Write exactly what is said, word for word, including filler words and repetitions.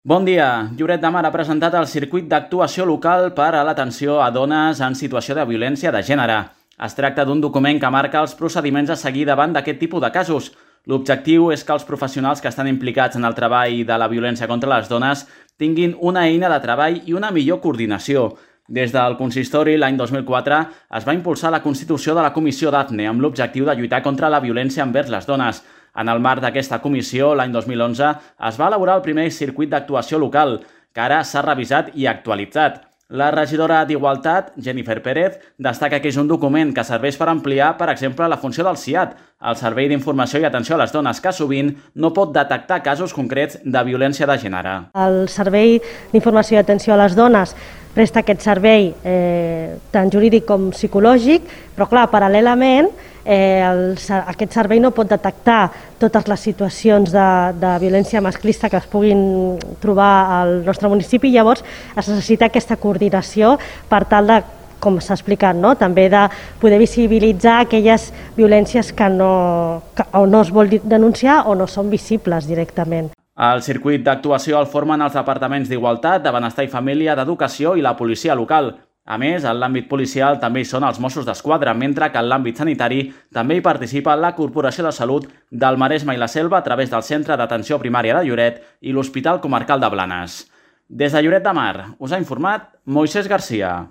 Bon dia. Lloret de Mar ha presentat el circuit d'actuació local per a l'atenció a dones en situació de violència de gènere. Es tracta d'un document que marca els procediments a seguir davant d'aquest tipus de casos. L'objectiu és que els professionals que estan implicats en el treball de la violència contra les dones tinguin una eina de treball i una millor coordinació. Des del consistori, l'any dos mil quatre, es va impulsar la constitució de la Comissió Dafne amb l'objectiu de lluitar contra la violència envers les dones. En el marc d'aquesta comissió, l'any dos mil onze, es va elaborar el primer circuit d'actuació local, que ara s'ha revisat i actualitzat. La regidora d'Igualtat, Jennifer Pérez, destaca que és un document que serveix per ampliar, per exemple, la funció del C I A T, el Servei d'Informació i Atenció a les Dones, que sovint no pot detectar casos concrets de violència de gènere. El Servei d'Informació i Atenció a les Dones presta aquest servei eh, tant jurídic com psicològic, però clar, paral·lelament eh, el, aquest servei no pot detectar totes les situacions de, de violència masclista que es puguin trobar al nostre municipi, llavors es necessita aquesta coordinació per tal de, com s'ha explicat, no? també de poder visibilitzar aquelles violències que no, que o no es vol denunciar o no són visibles directament. El circuit d'actuació el formen els departaments d'Igualtat, de Benestar i Família, d'Educació i la policia local. A més, en l'àmbit policial també hi són els Mossos d'Esquadra, mentre que en l'àmbit sanitari també hi participa la Corporació de Salut del Maresme i la Selva a través del Centre d'Atenció Primària de Lloret i l'Hospital Comarcal de Blanes. Des de Lloret de Mar us ha informat Moisés Garcia.